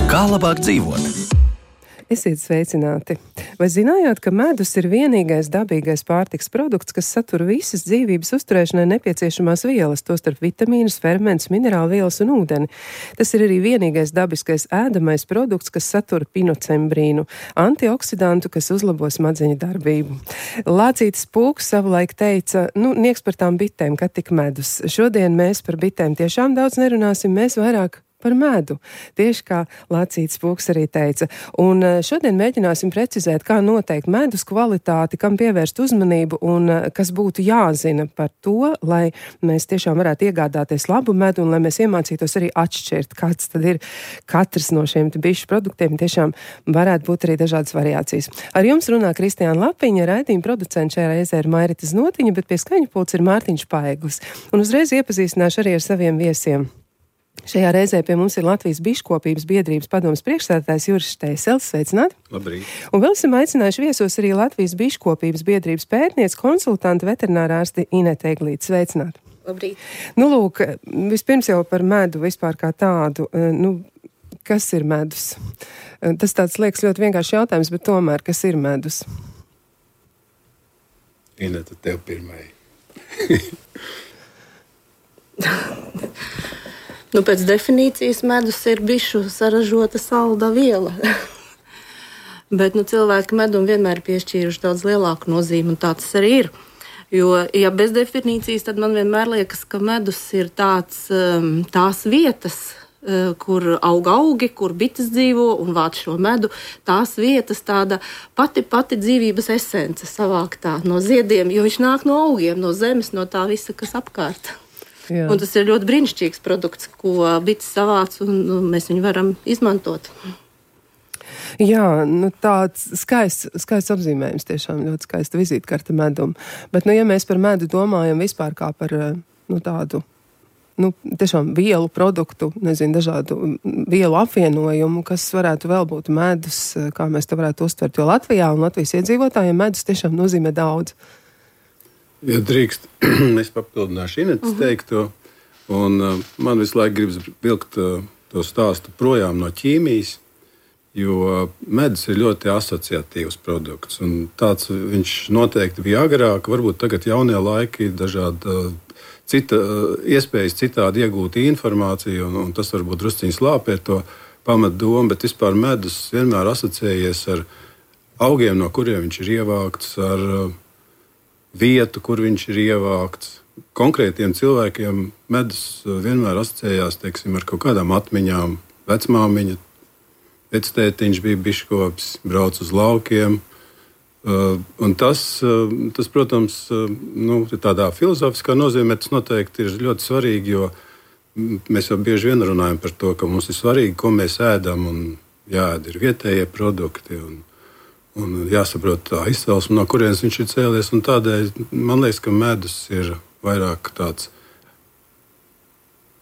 Kā labāk dzīvot? Esiet sveicināti! Vai zinājāt, ka medus ir vienīgais dabīgais pārtiks produkts, kas satur visas dzīvības uzturēšanai nepieciešamās vielas, tostarp vitamīnus, fermentus, minerālu vielas un ūdeni? Tas ir arī vienīgais dabiskais ēdamais produkts, kas satur pinocembrīnu, antioksidantu, kas uzlabo smadzeņu darbību. Lācītis Pūks savulaik teica, nieks par tām bitēm, kad tik medus. Šodien mēs par bitēm tiešām daudz nerunāsim, mēs vairāk par medu, tieši kā Lācītis Pūks arī teica. Un šodien mēģināsim precizēt, kā noteikt medus kvalitāti, kam pievērst uzmanību un kas būtu jāzina par to, lai mēs tiešām varētu iegādāties labu medu un lai mēs iemācītos arī atšķirt, kāds tad ir katrs no šiem bišu produktiem. Tiešām varētu būt arī dažādas variācijas. Ar jums runā Kristiāna Lapiņa, raidījuma producents šajā reizē ir Mairita Znotiņa, bet pie skaņu pults ir Mārtiņš Paeglis. Un uzreiz iepazīstināšu arī ar saviem viesiem. Šajā reizē pie mums ir Latvijas biškopības biedrības padomes priekšsēdētājs Juris Štēselis. Sveicināti! Labrīt! Un vēl esam aicinājuši viesos arī Latvijas biškopības biedrības pētniece, konsultanta veterinārā ārste Inete Eglīte. Sveicināti! Labrīt! Lūk, vispirms jau par medu vispār kā tādu. Kas ir medus? Tas tāds liekas ļoti vienkārši jautājums, bet tomēr, kas ir medus? Inete, tev pirmai. Pēc definīcijas medus ir bišu saražota salda viela. Bet cilvēki medum vienmēr piešķīruši daudz lielāku nozīmi, un tā tas arī ir. Jo, ja bez definīcijas, tad man vienmēr liekas, ka medus ir tās vietas, kur aug augi, kur bites dzīvo un vāc šo medu. Tās vietas tāda pati dzīvības esence savāktā no ziediem, jo viņš nāk no augiem, no zemes, no tā visa, kas apkārt. Jā. Un tas ir ļoti brīnišķīgs produkts, ko bites savāc, un mēs viņu varam izmantot. Jā, tāds skaists apzīmējums, tiešām ļoti skaista vizītkarte medum. Bet, ja mēs par medu domājam vispār kā par tādu, tiešām vielu produktu, dažādu vielu apvienojumu, kas varētu vēl būt medus, kā mēs to varētu uztvert, jo Latvijā un Latvijas iedzīvotājiem medus tiešām nozīmē daudz. Ja drīkst, es papildināšu Inetes teikto, un man visu laiku gribas vilkt to stāstu projām no ķīmijas, jo medus ir ļoti asociatīvs produkts, un tāds viņš noteikti bija agrāk, varbūt tagad jaunie laiki ir dažādi iespējas citādi iegūt informāciju, un tas varbūt drusciņi slāpē to pamatdomu, bet vispār medus vienmēr asociējies ar augiem, no kuriem viņš ir ievākts, ar vietu, kur viņš ir ievākts. Konkrētiem cilvēkiem medus vienmēr asociējās, ar kaut kādām atmiņām. Vecmāmiņa, vectētiņš bija biškops, brauc uz laukiem. Un tas, protams, tādā filozofiskā nozīmē, tas noteikti ir ļoti svarīgi, jo mēs jau bieži vien runājam par to, ka mums ir svarīgi, ko mēs ēdam, un jāēd ir vietējie produkti, un jāsaprot tā izcelsme, no kurienes viņš ir cēlies. Un tādēļ man liekas, ka medus ir vairāk tāds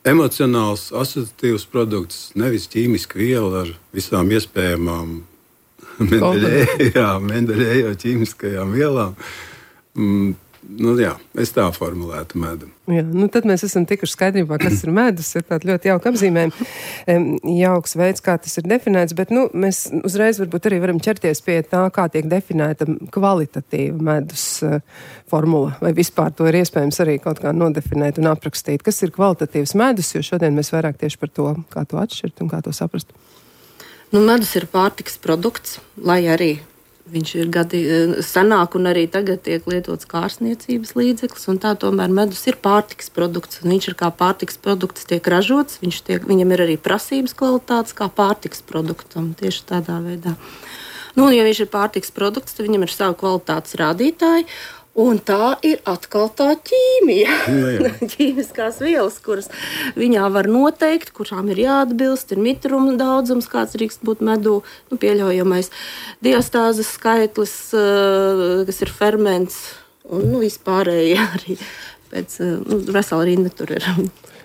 emocionāls, asociatīvs produkts, nevis ķīmiska viela ar visām iespējamām mendeļējo ķīmiskajām vielām. Es tā formulētu medu. Jā, tad mēs esam tikuši skaidrībā, kas ir medus, ir tāda ļoti jauka apzīmējuma, jauks veids, kā tas ir definēts, bet mēs uzreiz varbūt arī varam ķerties pie tā, kā tiek definēta kvalitatīva medus formula, vai vispār to ir iespējams arī kaut kā nodefinēt un aprakstīt. Kas ir kvalitatīvs medus, jo šodien mēs vairāk tieši par to, kā to atšķirt un kā to saprast. Medus ir pārtikas produkts, lai arī viņš ir gadi senāk un arī tagad tiek lietots kārstniecības līdzeklis, un tā tomēr medus ir pārtikas produkts, un viņš ir kā pārtikas produkts tiek ražots, viņam ir arī prasības kvalitātes kā pārtikas produktam, tieši tādā veidā. Un ja viņš ir pārtikas produkts, tad viņam ir savi kvalitātes rādītāji, un tā ir atkal tā ķīmija, ķīmiskās vielas, kuras viņā var noteikt, kurām ir jāatbilst, ir mitruma daudzums, kāds drīkst būt medū, pieļaujamais diastāzes skaitlis, kas ir ferments, un vispārēji arī pēc vesela rinda tur ir,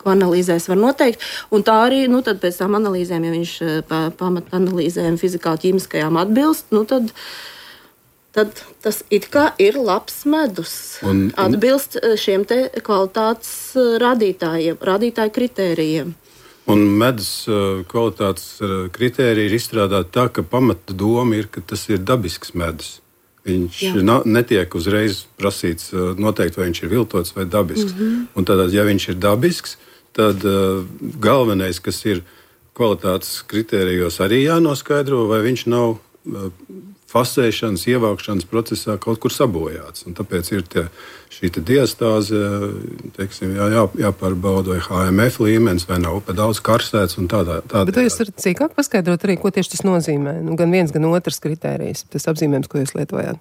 ko analīzēs var noteikt. Un tā arī, tad pēc tām analīzēm, ja viņš pamata analīzēm fizikāli ķīmiskajām atbilst, tad tas it kā ir labs medus. Atbilst šiem te kvalitātes rādītāju kritērijiem. Un medus kvalitātes kritērija ir izstrādāta tā, ka pamata doma ir, ka tas ir dabisks medus. Viņš netiek uzreiz prasīts noteikti, vai viņš ir viltots vai dabisks. Un tad, ja viņš ir dabisks, tad galvenais, kas ir kvalitātes kritērijos, arī jānoskaidro, vai viņš nav fasēšanas, ievākšanas procesā kaut kur sabojāts. Un tāpēc ir šī diastāze, jāpārbauda, vai HMF līmenis, vai nav pa daudz karsēts un tādā. Bet jūs varat cīkāk paskaidrot arī, ko tieši tas nozīmē? Gan viens, gan otrs kritērijs, tas apzīmējums, ko jūs lietojāt.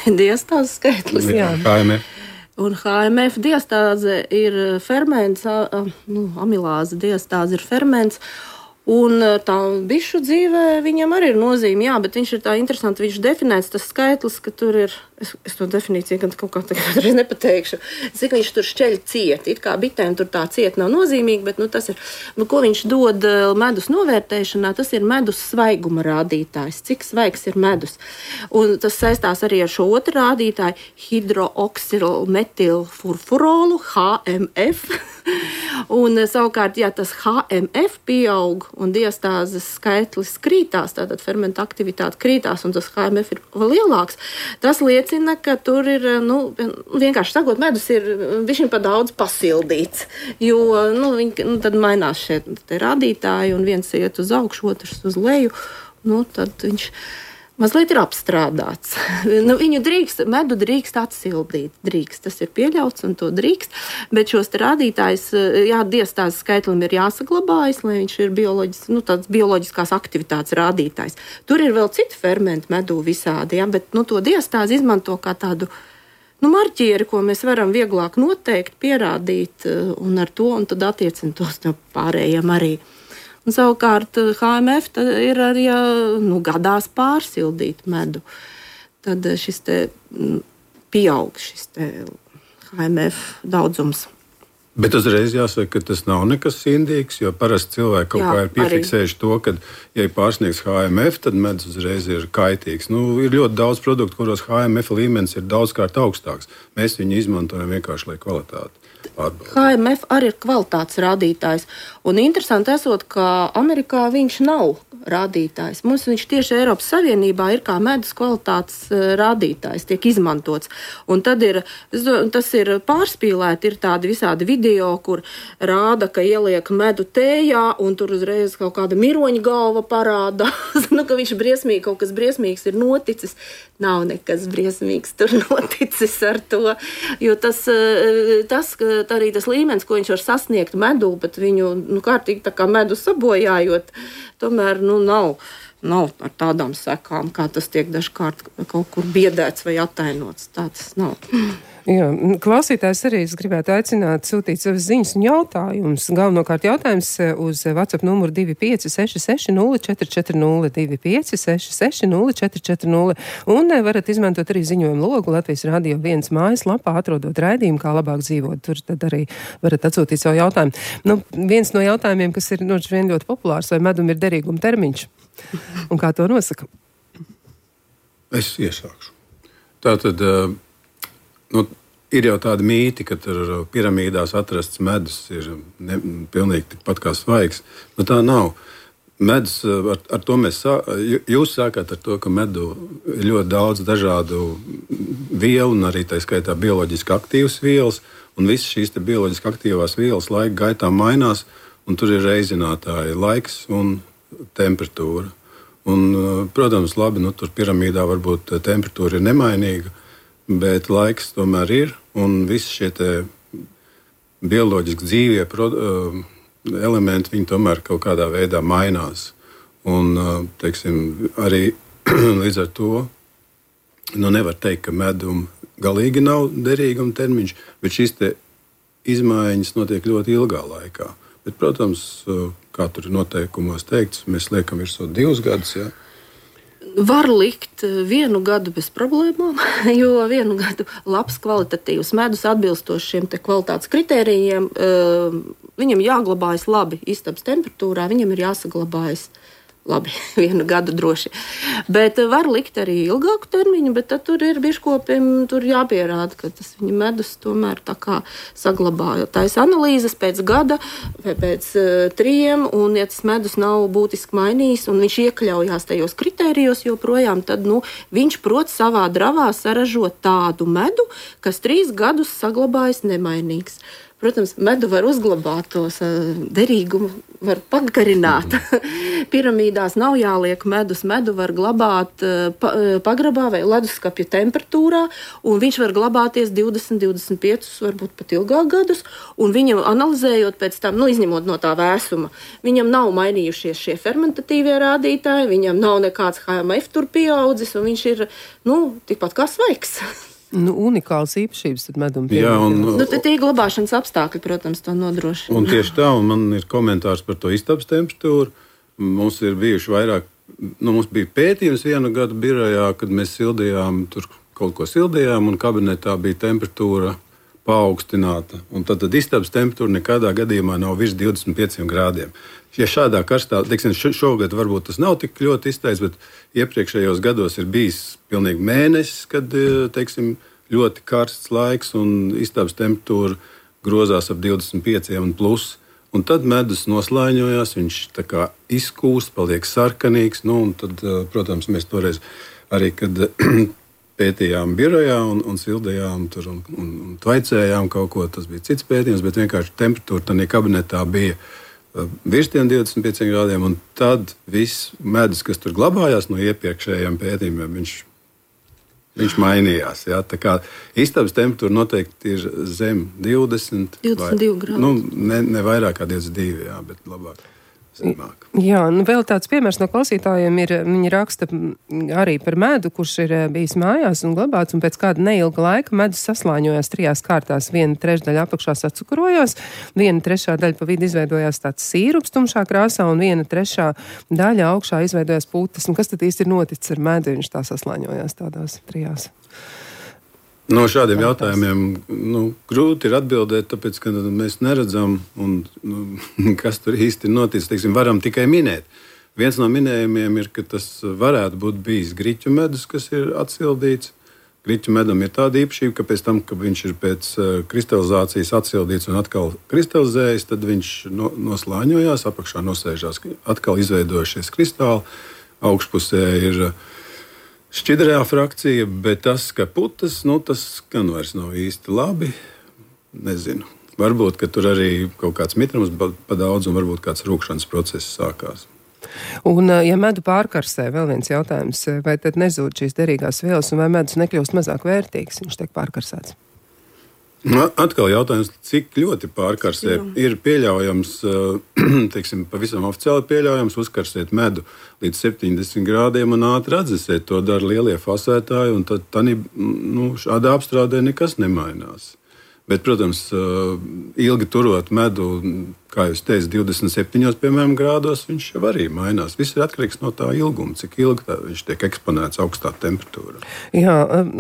Diastāzes skaitlis. Jā. HMF. Un HMF diastāze ir ferments, amilāze diastāze ir ferments. Un tā bišu dzīvē viņam arī ir nozīme, bet viņš ir tā interesanti, viņš definēts tas skaitlis, ka tur ir, es to definīciju gan kaut kā tagad nepateikšu, cik viņš tur šķeļ ciet, it kā bitēm tur tā ciet nav nozīmīgi, bet tas ir, ko viņš dod medus novērtēšanā, tas ir medus svaiguma rādītājs, cik svaigs ir medus. Un tas saistās arī ar šo otru rādītāju, hidrooksilmetilfurfurolu, HMF. Un savukārt, ja tas HMF pieaug un diastāzes skaitlis krītās, tātad fermenta aktivitāte krītās un tas HMF ir vēl lielāks, tas liecina, ka tur ir, vienkārši sakot, medus ir viņš pa daudz pasildīts, jo tad mainās šie rādītāji un viens iet uz augšu, otrs uz leju, tad viņš mazliet ir apstrādāts. Medu drīkst atsildīt. Tas ir pieļauts un to drīkst, bet šos rādītājus, diastāzes skaitlim ir jāsaglabājas, lai viņš ir tāds bioloģiskās aktivitātes rādītājs. Tur ir vēl citi fermenti medū visādi, bet to diastāzi izmanto kā tādu marķieri, ko mēs varam vieglāk noteikt, pierādīt un ar to, un tad attiecināt tos pārējiem arī. Un savukārt HMF ir arī gadās pārsildīt medu. Tad šis pieaug šis HMF daudzums. Bet uzreiz jāsaka, ka tas nav nekas indīgs, jo parasti cilvēki kaut kā ir piefiksējuši to, ka, ja pārsniegs HMF, tad medus uzreiz ir kaitīgs. Ir ļoti daudz produktu, kuros HMF līmenis ir daudzkārt augstāks. Mēs viņu izmantojam vienkārši, lai kvalitāti pārbaudītu. HMF arī ir kvalitātes rādītājs. Un interesanti esot, ka Amerikā viņš nav rādītājs. Mums viņš tieši Eiropas Savienībā ir kā medus kvalitātes rādītājs, tiek izmantots. Un tad tas ir pārspīlēti, ir tādi visādi video, kur rāda, ka ieliek medu tējā, un tur uzreiz kaut kāda miroņa galva parādās, ka viņš briesmīgi, kaut kas briesmīgs ir noticis. Nav nekas briesmīgs tur noticis ar to, jo tas arī tas līmenis, ko viņš var sasniegt medū, bet viņu kārtīgi tā kā medu sabojājot, tomēr nav ar tādām sekām, kā tas tiek dažkārt kaut kur biedēts vai attainots. Tā tas nav. Jā, klausītājs arī es gribētu aicināt sūtīt savas ziņas un jautājumus. Galvenokārt jautājums uz WhatsApp numuru 25660440, 25660440, un varat izmantot arī ziņojumu logu Latvijas Radio 1 mājaslapā, atrodot raidījumu, kā labāk dzīvot. Tur tad arī varat atsūtīt savu jautājumu. Viens no jautājumiem, kas ir vien ļoti populārs, vai medum ir derīguma termiņš? Un kā to nosaka? Es iesākšu. Tātad ir jau tāda mīti, ka tur piramīdās atrasts medus ir pilnīgi tikpat kā svaigs. Tā nav. Medus, ar to jūs sākāt ar to, ka medu ir ļoti daudz dažādu vielu, un arī tā skaitā bioloģiski aktīvas vielas, un visas šīs bioloģiski aktīvās vielas laika gaitā mainās, un tur ir reizinātāji laiks un temperatūra. Un, protams, labi, tur piramīdā varbūt temperatūra ir nemainīga, bet laiks tomēr ir, un visi šie bioloģiski dzīvie elementi, viņi tomēr kaut kādā veidā mainās. Un, arī līdz ar to nevar teikt, ka medum galīgi nav derīguma termiņš, bet šīs izmaiņas notiek ļoti ilgā laikā. Bet, protams, kā tur ir noteikumos teikts, mēs liekam virsū 2 gadus. Ja? Var likt 1 gadu bez problēmām, jo 1 gadu labs kvalitatīvs medus atbilstoši šiem te kvalitātes kritērijiem, viņam jāglabājas labi istabas temperatūrā, viņam ir jāsaglabājas labi 1 gadu droši. Bet var likt arī ilgāku termiņu, bet tad tur ir biškopiem tur jāpierāda, ka tas viņa medus tomēr tā kā saglabāja. Taisa analīzes pēc gada vai pēc 3, un ja tas medus nav būtiski mainījis, un viņš iekļaujās tajos kritērijos joprojām, tad viņš prot savā dravā saražot tādu medu, kas 3 gadus saglabājas nemainīgs. Protams, medu var uzglabāt, tos derīgumu var pagarināt. Piramīdās nav jāliek medus. Medu var glabāt pagrabā vai leduskapja temperatūrā, un viņš var glabāties 20, 25, varbūt pat ilgāk gadus, un viņam analizējot pēc tam, izņemot no tā vēsuma, viņam nav mainījušies šie fermentatīvie rādītāji, viņam nav nekāds HMF tur pieaudzis, un viņš ir, tikpat kā svaigs. Unikāls īpašības tad medum pievienot. Tie glabāšanas apstākļi, protams, to nodrošina. Un tieši tā, un man ir komentārs par to istabas temperatūru. Mums ir bijuši vairāk, mums bija pētījums 1 gadu birojā, kad mēs sildījām, tur kaut ko sildījām, un kabinetā bija temperatūra paaugstināta. Un tad istabas temperatūra nekādā gadījumā nav virs 25 grādiem. Ja šādā karstā, teiksim, šogad varbūt tas nav tik ļoti izteicis, bet iepriekšējos gados ir bijis pilnīgi mēnesis, kad, teiksim, ļoti karsts laiks un istabas temperatūra grozās ap 25 un plus. Un tad medus noslāņojās, viņš tā kā izkūst, paliek sarkanīgs. Un tad, protams, mēs toreiz arī, kad pētījām birojā un sildījām tur un tvaicējām kaut ko, tas bija cits pētījums, bet vienkārši temperatūra tādā kabinetā bija virs 25 grādiem, un tad viss medus, kas tur glabājās no iepriekšējiem pētījumiem, viņš mainījās. Ja? Tā kā istabas temperatūra noteikti ir zem 22 grādu. Ne vairāk kā 22, jā, bet labāk. Zemāk. Jā, vēl tāds piemērs no klausītājiem ir, viņi raksta arī par medu, kurš ir bijis mājās un glabāts, un pēc kāda neilga laika medus saslāņojās 3 kārtās. 1/3 daļa apakšā sacukurojās, 1/3 daļa pa vidu izveidojās tāds sīrups tumšā krāsā, un 1/3 daļa augšā izveidojās putas. Un kas tad īsti ir noticis ar medu, viņš tā saslāņojās tādās 3? No šādiem jautājumiem grūti ir atbildēt, tāpēc, ka mēs neredzam, kas tur īsti ir noticis. Teiksim, varam tikai minēt. Viens no minējumiem ir, ka tas varētu būt bijis griķu medus, kas ir atsildīts. Griķu medam ir tāda īpašība, ka pēc tam, kad viņš ir pēc kristalizācijas atsildīts un atkal kristalizējas, tad viņš noslāņojās, apakšā nosēžās, atkal izveidojušies kristāli, augšpusē ir šķidrā frakcija, bet tas, ka putas, tas gan vairs nav īsti labi. Nezinu. Varbūt, ka tur arī kaut kāds mitrums pa daudz un varbūt kāds rūkšanas process sākās. Un, ja medu pārkarsē, vēl viens jautājums, vai tad nezūd šīs derīgās vielas un vai medus nekļūst mazāk vērtīgs, viņš tiek pārkarsēts? Atkal jautājums, cik ļoti pārkarsē. Ir pieļaujams, teiksim, pavisam oficiāli pieļaujams uzkarsēt medu līdz 70 grādiem un ātri atdzesēt. To dara lielie fasētāji, un tad šādā apstrādē nekas nemainās. Bet, protams, ilgi turot medu, kā jūs teicat, 27, piemēram, grādos, viņš jau arī mainās. Viss ir atkarīgs no tā ilguma, cik ilgi viņš tiek eksponēts augstā temperatūrā. Jā,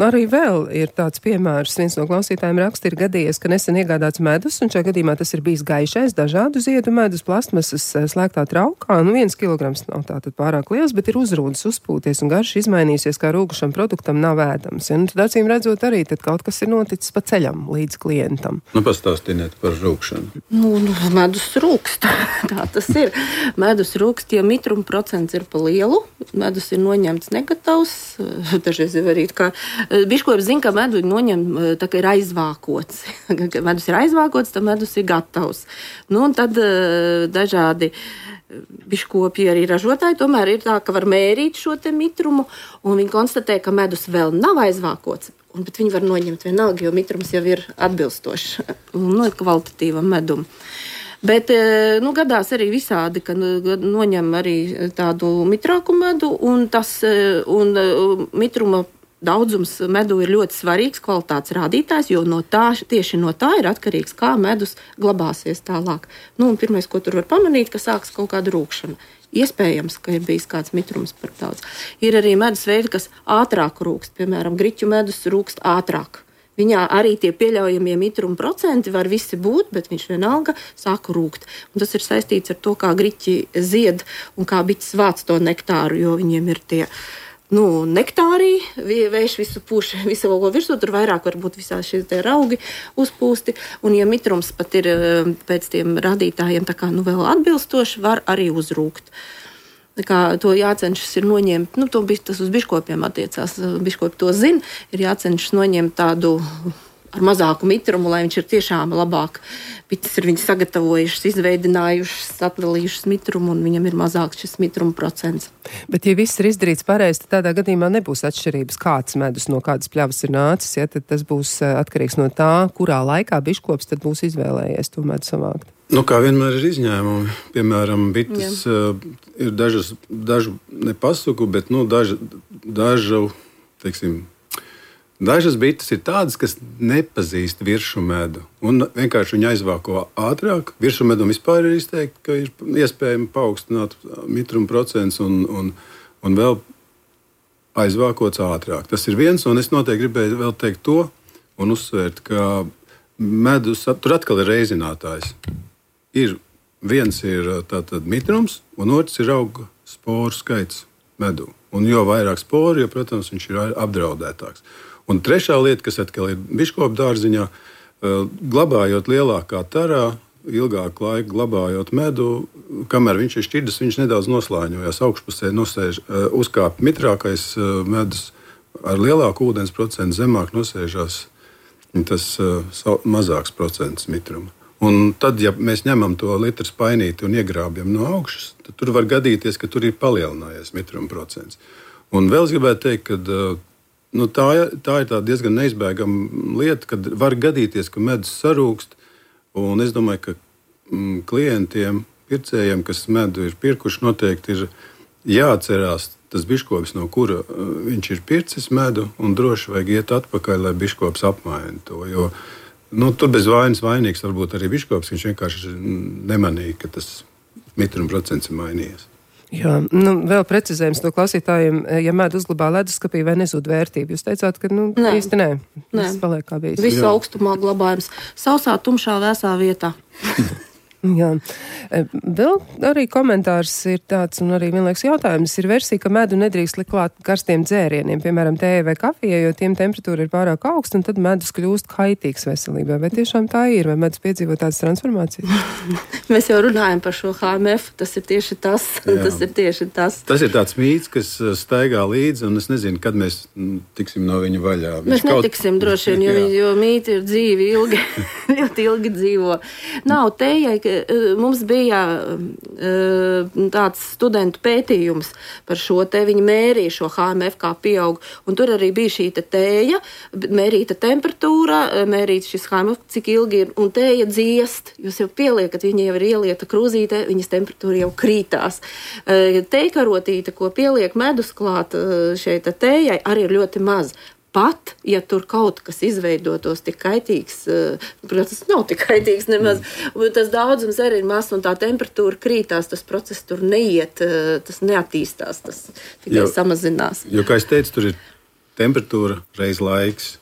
arī vēl ir tāds piemērs. Viens no klausītājiem raksta, ir gadījies, ka nesen iegādāts medus, un šajā gadījumā tas ir bijis gaišais, dažādu ziedu medus, plastmasas slēgtā traukā. 1 kilograms nav tātad pārāk liels, bet ir uzrūdas, uzpūties un garš izmainīsies, kā rūgušam produktam nav ēdams. Ja, tad acīm redzot arī, tad kaut kas ir noticis pa ceļam līdz klientam. Pastāstiniet par rūkšanu. Medus rūkst. Tā tas ir. Medus rūkst, ja mitruma procents ir pa lielu, medus ir noņemts negatavs. Dažreiz ir arī kā biškopi zina, ka medu noņem, tā kā ir aizvākots. Medus ir aizvākots, tad medus ir gatavs. Un tad dažādi biškopi arī ražotāji tomēr ir tā, ka var mērīt šo te mitrumu, un viņi konstatē, ka medus vēl nav aizvākots. Bet viņi var noņemt vienalga, jo mitrums jau ir atbilstošs kvalitatīvam medum. Bet gadās arī visādi, ka noņem arī tādu mitrāku medu, un mitruma daudzums medu ir ļoti svarīgs kvalitātes rādītājs, jo tieši no tā ir atkarīgs, kā medus glabāsies tālāk. Un pirmais, ko tur var pamanīt, ka sāks kaut kāda rūkšana. Iespējams, ka ir bijis kāds mitrums par daudz. Ir arī medus veidi, kas ātrāk rūkst. Piemēram, griķu medus rūkst ātrāk. Viņā arī tie pieļaujamie mitruma procenti var visi būt, bet viņš vienalga sāk rūkt. Un tas ir saistīts ar to, kā griķi zied un kā bites vāc to nektāru, jo viņiem ir tie nektārī, vējš visu pūš, visu valgo virsū, tur vairāk varbūt visā šie te raugi uzpūsti, un ja mitrums pat ir pēc tiem rādītājiem tā kā vēl atbilstoši, var arī uzrūkt. Tā kā to jācenšas ir noņemt, tas uz biškopiem attiecās, biškopi to zina, ir jācenšas noņemt tādu ar mazāku mitrumu, lai viņš ir tiešām labāk. Bites ir viņi sagatavojušas, izveidinājušas, atdalījušas mitrumu, un viņam ir mazāks šis mitruma procents. Bet, ja viss ir izdarīts pareizi, tad tādā gadījumā nebūs atšķirības, kāds medus no kādas pļavas ir nācis, ja, tad tas būs atkarīgs no tā, kurā laikā biškops tad būs izvēlējies to medu savākt. Kā vienmēr ir izņēmumi. Piemēram, bites ir dažu nepasuku, bet dažas bites ir tādas, kas nepazīst viršu medu. Un vienkārši viņi aizvāko ātrāk. Viršu medum vispār ir izteikti, ka ir iespējami paaugstināt mitruma procents un vēl aizvākots ātrāk. Tas ir viens, un es noteikti gribēju vēl teikt to un uzsvērt, ka medus, tur atkal ir reizinātājs. Viens ir tātad mitrums, un otrs ir auga sporu skaits medū. Un jo vairāk sporu, jo, protams, viņš ir apdraudētāks. Un trešā lieta, kas atkal ir biškopu dārziņā, glabājot lielākā tarā, ilgāku laiku glabājot medu, kamēr viņš ir šķidrs, viņš nedaudz noslāņojās. Augšpusē uzkāp mitrākais medus, ar lielāku ūdens procentu zemāk nosēžās tas mazāks procents mitruma. Un tad, ja mēs ņemam to litru spainīti un iegrābjam no augšas, tad tur var gadīties, ka tur ir palielinājies mitruma procents. Un vēl es gribētu teikt, ka tā ir tā diezgan neizbēgama lieta, kad var gadīties, ka medus sarūkst. Un es domāju, ka klientiem, pircējiem, kas medu ir pirkuši, noteikti ir jāatcerās tas biškops, no kura viņš ir pircis medu, un droši vajag iet atpakaļ, lai biškops apmaina to. Jo tur bez vainas vainīgs varbūt arī biškops, viņš vienkārši nemanīja, ka tas mitruma procents ir mainījies. Jā, vēl precizējums no klausītājiem, ja medu uzglabā leduskapī vai nezūd vērtību. Jūs teicāt, ka īsti nē. Tas paliek kā bijis. Visu augstumā glabājums. Sausā, tumšā, vēsā vietā. Jā. Vēl arī komentārs ir tāds, un arī vienlaiks jautājums ir versija, ka medu nedrīkst likt klāt karstiem dzērieniem, piemēram, tējai vai kafijai, jo tiem temperatūra ir pārāk augsta, un tad medus kļūst kaitīgs veselībai. Vai tiešām tā ir? Vai medus piedzīvo tādas transformācijas? Mēs jau runājam par šo HMF, tas ir tieši tas. Tas ir tieši tas. Tas ir tāds mīts, kas staigā līdzi, un es nezinu, kad mēs tiksim no viņa vaļā. Mēs netiksim droši vien, jo mīti ir dzīvi ilgi, ļoti ilgi dzīvo. Nav tējai, mums bija tāds studentu pētījums par šo te, viņi mērīja šo HMF kā pieaug, un tur arī bija šī te tēja, mērīta temperatūra, mērīts šis HMF, cik ilgi ir, un tēja dziest, jūs jau pieliekat, viņa jau ir ielieta krūzītē, viņas temperatūra jau krītās. Tejkarotīte, ko pieliek medus klāt šeit tējai, arī ir ļoti maz. Pat, ja tur kaut kas izveidotos tik kaitīgs, protams, nav tik kaitīgs nemaz, tas daudzums arī ir maz un tā temperatūra krītās, tas process tur neiet, tas neattīstās, tas tikai samazinās. Jo, kā es teicu, tur ir temperatūra reiz laiks.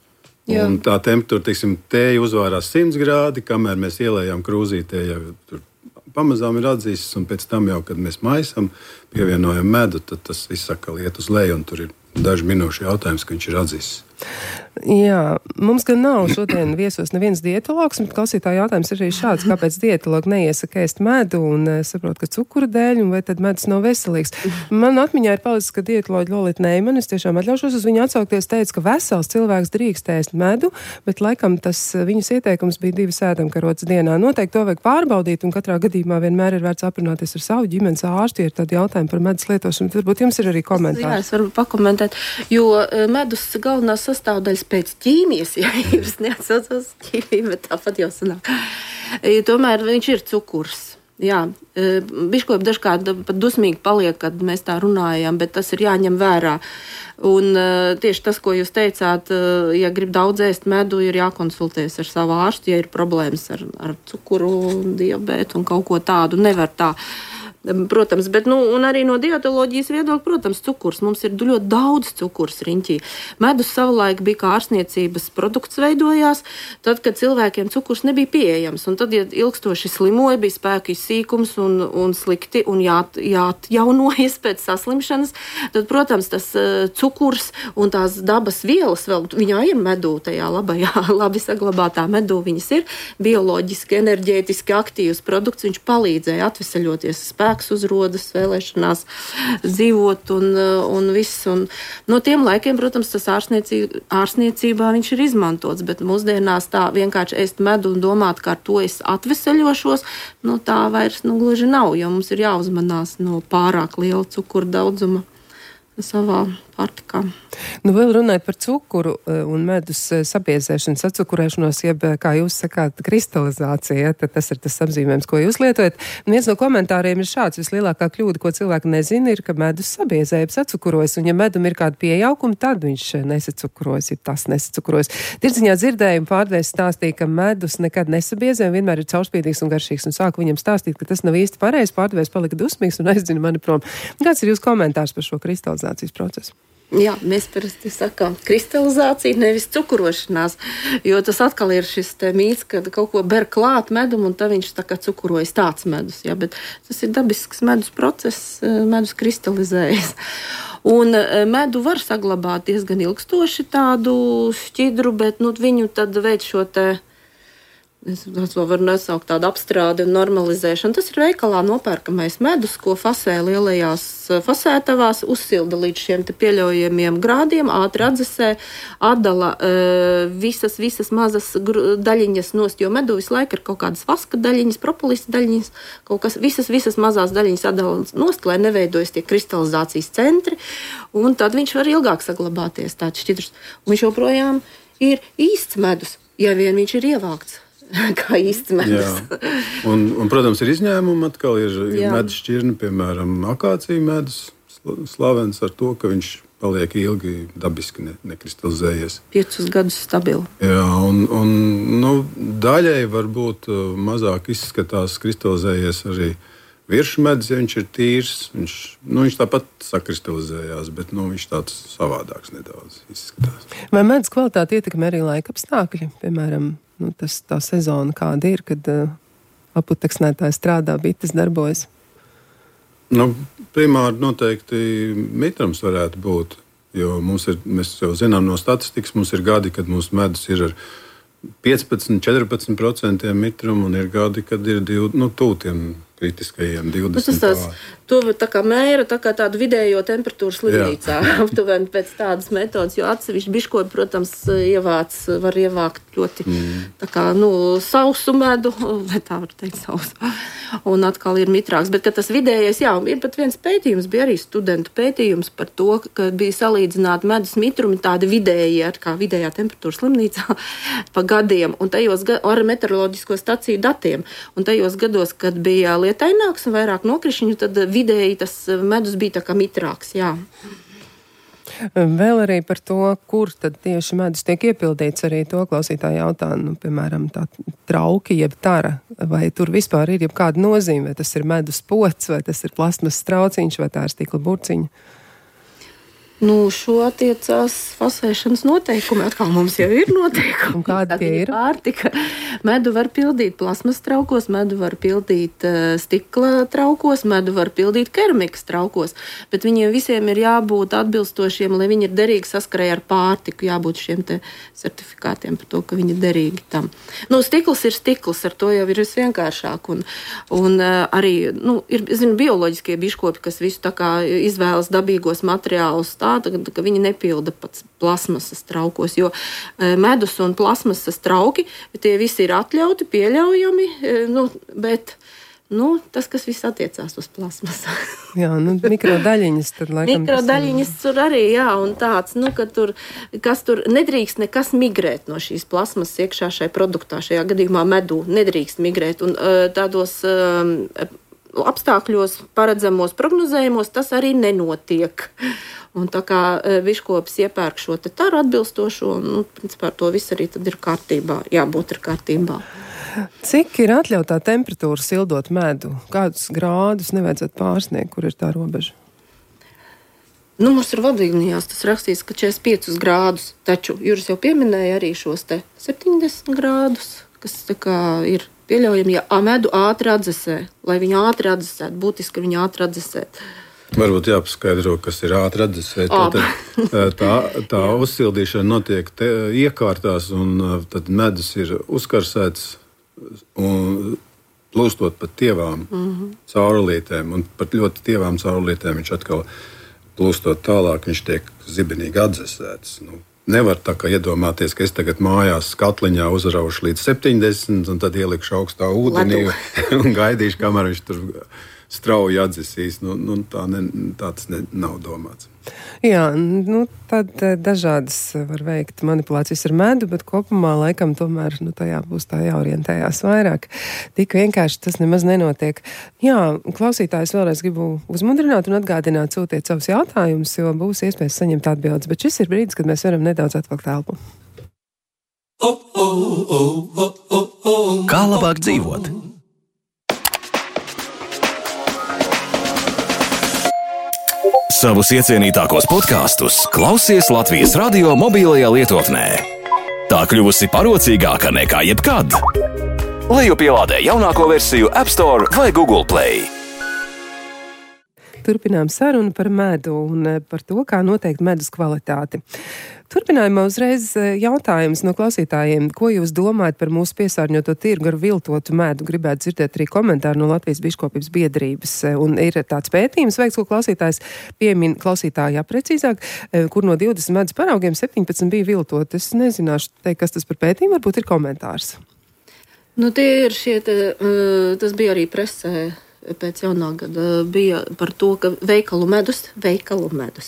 Jā. Un tā temperatūra, teiksim, tēja uzvārās 100 grādi, kamēr mēs ielējām krūzītē, jau tur pamazām ir atzīstas, un pēc tam jau, kad mēs maisam, pievienojam medu, tad tas viss atkal iet uz leju, un tur ir dažu minūšu jautājums, ka viņš ir atzīsis. Jā, mums gan nav šodien viesos neviens dietologs, bet klausītāja jautājums ir arī šāds, kāpēc dietologi neiesaka ēst medu un saprot, ka cukura dēļ, un vai tad medus nav veselīgs. Man atmiņā ir palicis, ka dietoloģi Lolita Neiman, es tiešām atļaušos uz viņu atsaukties, teica, ka vesels cilvēks drīkst ēst medu, bet laikam tas viņas ieteikums bija 2 ēdamkarotes dienā. Noteikti to vajag pārbaudīt, un katrā gadījumā vienmēr ir vērts aprunāties ar savu ģimenes ārstu, ja ir tādi jautājumi par medus lietošanu. Varbūt jums ir arī komentāri. Jā, es varu pakomentēt, jo medus galvenās sastāvdaļas pēc ķīmijas, ja jūs neatsaucos ķīmiju, bet tāpat jau sanāk. Tomēr viņš ir cukurs. Jā, biškopi dažkārt pat dusmīgi paliek, kad mēs tā runājam, bet tas ir jāņem vērā. Un tieši tas, ko jūs teicāt, ja grib daudz ēst medu, ir jākonsultējas ar savu ārstu, ja ir problēmas ar cukuru, diabētu un kaut ko tādu. Nevar tā Protams, bet, un arī no dietoloģijas viedokļa, protams, cukurs. Mums ir ļoti daudz cukurs riņķī. Medus savulaik bija kā ārstniecības produkts veidojās, tad, kad cilvēkiem cukurs nebija pieejams. Un tad, ja ilgstoši slimoja, bija spēku izsīkums un slikti un jāatjaunojas pēc saslimšanas, tad, protams, tas cukurs un tās dabas vielas vēl, viņā ir medū, tajā labi saglabātā medū, viņas ir bioloģiski, enerģētiski aktīvs produkts, viņš palīdzēja atveseļoties, spēks uzrodas, vēlēšanās dzīvot un viss. Un no tiem laikiem, protams, tas ārstniecībā viņš ir izmantots, bet mūsdienās tā vienkārši ēst medu un domāt, ka ar to es atveseļošos, tā vairs gluži nav, jo mums ir jāuzmanās no pārāk liela cukura daudzuma savā pārtikā. Vēl runājot par cukuru un medus sabiezēšanu, sacukurēšanos, jeb, kā jūs sakāt, kristalizācija, tad tas ir tas apzīmējums, ko jūs lietojat. Viens no komentāriem ir šāds: vislielākā kļūda, ko cilvēki nezina, ir, ka medus sabiezē, jeb sacukurojas, un ja medum ir kāda piejaukuma, tad viņš nesacukurojas, ja tas nesacukurojas. Tirdziņā dzirdējumu pārdevējs stāstīja, ka medus nekad nesabiezē, vienmēr ir caurspīdīgs un garšīgs, un sāku viņam stāstīt, ka tas nav īsti pareizi, pārdevējs palika dusmīgs un aizdzina mani prom. Kāds ir jūsu komentārs par šo kristalizācijas procesu? Jā, mēs parasti sakām kristalizācija, nevis cukurošanās, jo tas atkal ir šis mīts, kad kaut ko ber klāt medumu un tad viņš tā kā cukurojas tāds medus, jā, bet tas ir dabisks medus process, medus kristalizējas. Un medu var saglabāt diezgan ilgstoši tādu šķidru, bet viņu tad veids šo es to varu nosaukt tādu apstrādi un normalizēšanu. Tas ir veikalā nopērkamais medus, ko fasē lielajās fasētavās, uzsilda līdz šiem pieļaujamiem grādiem, ātri atdzesē, atdala visas mazas daļiņas nost, jo medu visu laiku ir kaut kādas vaska daļiņas, propolisa daļiņas, kaut kas, visas mazās daļiņas atdala nost, lai neveidojas tie kristalizācijas centri, un tad viņš var ilgāk saglabāties tāds šķidrs. Un viņš joprojām ir īsts medus, ja vien viņš ir ievākts. Kā īsts medus. Un, protams, ir izņēmumi. Atkal ir medus šķirni, piemēram, akācija medus, slavens ar to, ka viņš paliek ilgi dabiski nekristalizējies. 5 gadus stabili. Jā, un daļai varbūt mazāk izskatās kristalizējies arī virsmu medus, ja viņš ir tīrs. Viņš tāpat sakristalizējās, bet viņš tāds savādāks nedaudz izskatās. Vai medus kvalitāti ietekmē arī laika apstākļi? Piemēram, tā sezona kāda ir, kad aputeksnētāji strādā, bites darbojas? Primāri noteikti mitrums varētu būt, jo mēs jau zinām no statistikas, mums ir gadi, kad mūsu medus ir ar 15-14% mitrumu, un ir gadi, kad ir tūtiem kritiskajiem 20%. To tā kā mēra, tā kā tādu vidējo temperatūru slimnīcā, aptuveni pēc tādas metodas, jo atsevišķi biškopi, protams, var ievākt ļoti tā kā, sausu medu, vai tā var teikt sausu, un atkal ir mitrāks. Bet, kad tas vidējais, ir pat viens pētījums, bija arī studentu pētījums par to, ka bija salīdzināti medus mitrumi tādi vidēji, kā vidējā temperatūra slimnīcā pa gadiem, un tajos ar meteoroloģisko staciju datiem, un tajos gados, kad bija lietaināks un vairāk nokrišņu, tad vidēji tas medus bija tā kā mitrāks, jā. Vēl arī par to, kur tad tieši medus tiek iepildīts, arī to klausītāji jautā, piemēram, tā trauki, jeb tara, vai tur vispār ir jebkāda nozīme, vai tas ir medus pods, vai tas ir plasmas trauciņš, vai tā ir stikla burciņa? Šo attiecās fasēšanas noteikumi. Atkal mums jau ir noteikumi. Kādi tie ir? Pārtika. Medu var pildīt plasmas traukos, medu var pildīt stikla traukos, medu var pildīt keramikas traukos, bet viņiem visiem ir jābūt atbilstošiem, lai viņi ir derīgi saskarē ar pārtiku, jābūt šiem te certifikātiem par to, ka viņi ir derīgi tam. Stikls ir stikls, ar to jau ir visvienkāršāk, un arī, ir, bioloģiskie biškopi, kas visu tā kā izvēlas dabīgos materiālus, ka viņi nepilda pats plasmasas traukos, jo medus un plasmasas trauki, tie visi ir atļauti, pieļaujami, bet tas, kas viss attiecās uz plasmasu. Jā, mikrodaļiņas tad laikam. Mikrodaļiņas tur arī, jā, un tāds, ka tur nedrīkst nekas migrēt no šīs plasmasas iekšā šai produktā, šajā gadījumā medū nedrīkst migrēt, un tādos apstākļos, paredzamos, prognozējumos, tas arī nenotiek. Un tā kā biškops iepērk šo te taru atbilstošo, principā to viss arī tad ir kārtībā, jābūt ir kārtībā. Cik ir atļautā temperatūra sildot medu? Kādus grādus nevajadzētu pārsniegt, kur ir tā robeža? Nu, mums ir vadlīnijās tas rakstīts, ka 45 grādus, taču Juris jau pieminēja arī šos te 70 grādus, kas tā kā ir pieļaujami, ja medu ātri atdzesē, lai viņu ātri atdzesētu, būtiski viņu ātri atdzesēt. Varbūt jāpaskaidro, kas ir ātri atdzesēt. Tā uzsildīšana notiek iekārtās, un tad medus ir uzkarsēts un plūstot pa tievām caurulītēm. Un pat ļoti tievām caurulītēm viņš atkal plūstot tālāk, viņš tiek zibenīgi atdzesēts. Nevar tā kā iedomāties, ka es tagad mājās skatliņā uzraušu līdz 70 un tad ielikšu augstā ūdenī un gaidīšu, kamēr viņš tur strauji atdzesīs. Tāds nav domāts. Jā, tad dažādas var veikt manipulācijas ar medu, bet kopumā laikam tomēr tajā būs tā jāorientējās vairāk. Tik vienkārši tas nemaz nenotiek. Jā, klausītājs vēlreiz gribu uzmundrināt un atgādināt, sūtiet savus jautājumus, jo būs iespējas saņemt atbildes, bet šis ir brīdis, kad mēs varam nedaudz atvilkt elpu. Kā labāk dzīvot? Savus iecienītākos podkastus klausies Latvijas radio mobilajā lietotnē. Tā kļuvusi parocīgāka nekā jebkad. Lejupielādē jaunāko versiju App Store vai Google Play. Turpinām sarunu par medu un par to, kā noteikt medus kvalitāti. Turpinājumā uzreiz jautājums no klausītājiem, ko jūs domājat par mūsu piesārņoto tirgu ar viltotu medu? Gribētu dzirdēt arī komentāru no Latvijas biškopības biedrības. Un ir tāds pētījums veikts, ko klausītājs piemin klausītājā precīzāk, kur no 20 medus paraugiem 17 bija viltot. Es nezināšu teikt, kas tas par pētījumu, varbūt ir komentārs. Tie ir tas bija arī presē. Pēc jaunā gada bija par to, ka veikalu medus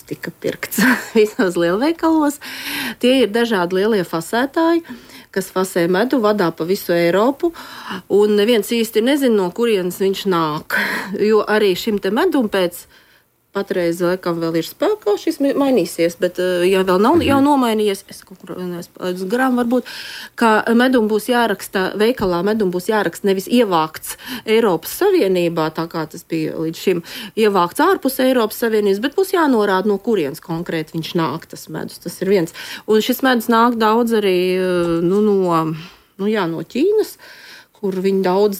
tika pirkts visos lielveikalos. Tie ir dažādi lielie fasētāji, kas fasē medu, vadā pa visu Eiropu, un neviens īsti nezina, no kurienes viņš nāk. Jo arī šim te medum pēc patreiz, laikam, vēl ir spēkā, šis mainīsies, bet ja vēl nav jau nomainījies, es kaut kur uz grām varbūt, ka medum būs jāraksta, veikalā medum būs jāraksta nevis ievākts Eiropas Savienībā, tā kā tas bija līdz šim ievākts ārpus Eiropas Savienības, bet būs jānorāda, no kurienes konkrēti viņš nāk, tas medus, tas ir viens. Un šis medus nāk daudz arī no Ķīnas, kur viņi daudz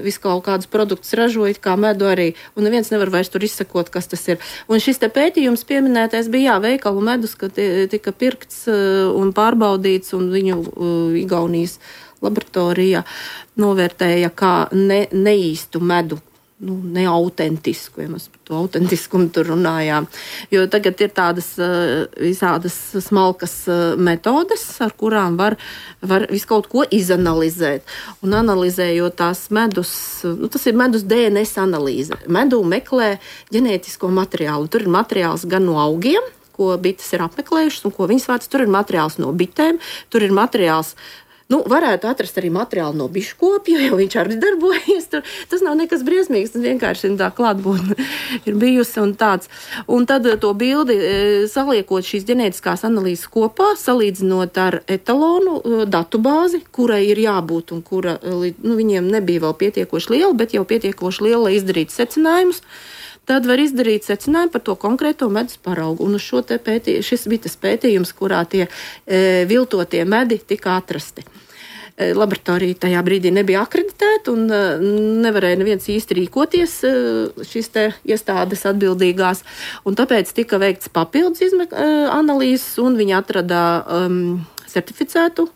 visu kaut kādus produktus ražoja, kā medu arī, un neviens nevar vairs tur izsekot, kas tas ir. Un šis te pētījums pieminētais bija, veikalu medus, ka tika pirkts un pārbaudīts, un viņu Igaunijas laboratorijā novērtēja kā neīstu medu. Neautentisku, ja mēs par to autentiskumu tur runājām. Jo tagad ir tādas visādas smalkas metodes, ar kurām var visu kaut ko izanalizēt. Un analizējot tās medus, tas ir medus DNS analīze. Medu meklē ģenētisko materiālu. Tur ir materiāls gan no augiem, ko bites ir apmeklējušas un ko viņas vāc. Tur ir materiāls no bitēm, tur ir materiāls. Varētu atrast arī materiālu no biškopja, jo viņš arī darbojas tur. Tas nav nekas briesmīgs, tas vienkārši tā klātbūtne ir bijusi un tāds. Un tad to bildi, saliekot šīs ģenētiskās analīzes kopā, salīdzinot ar etalonu datubāzi, kurai ir jābūt un kura viņiem nebija vēl pietiekoši liela, bet jau pietiekoši liela, lai izdarītu secinājumus. Tad var izdarīt secinājumu par to konkrēto medus paraugu. Un uz šis bija tas pētījums, kurā tie viltotie medi tika atrasti. Laboratorija tajā brīdī nebija akreditēta un nevarēja neviens īsti rīkoties šīs te iestādes atbildīgās. Un tāpēc tika veikts papildus analīzes un viņi atrada certificētu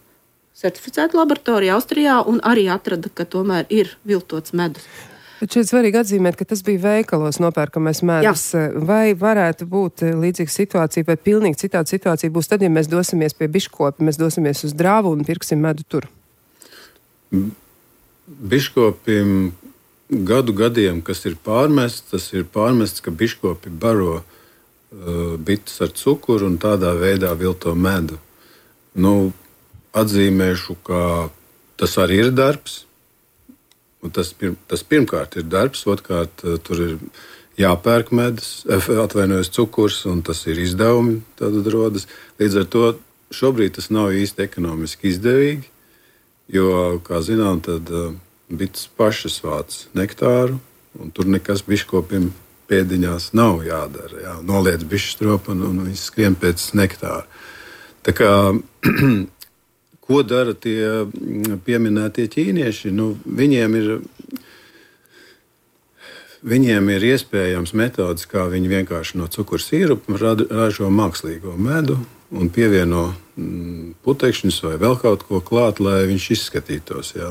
laboratoriju Austrijā un arī atrada, ka tomēr ir viltots medus. Bet šeit svarīgi atzīmēt, ka tas bija veikalos nopērkamais medus. Vai varētu būt līdzīga situācija, vai pilnīgi citāda situācija būs tad, ja mēs dosimies pie biškopi, mēs dosimies uz Drāvu un pirksim medu tur? Biškopim gadiem, kas ir pārmests, tas ir pārmests, ka biškopi baro bites ar cukuru un tādā veidā vilto medu. Atzīmēšu, ka tas arī ir darbs. Un tas pirmkārt ir darbs, otrkārt tur ir jāpērk medus, cukurs, un tas ir izdevumi, tad rodas. Līdz ar to šobrīd tas nav īsti ekonomiski izdevīgi, Jo, kā zinām, tad bites pašas vāc nektāru, un tur nekas biškopiem pēdiņās nav jādara. Jā. Noliec bišķi stropu un viņi skrien pēc nektāra. Tā kā, ko dara tie pieminētie ķīnieši? Nu, Viņiem ir iespējams metodas, kā viņi vienkārši no cukura sīrupa ražo mākslīgo medu un pievieno putekšņus vai vēl kaut ko klāt, lai viņš izskatītos. Jā,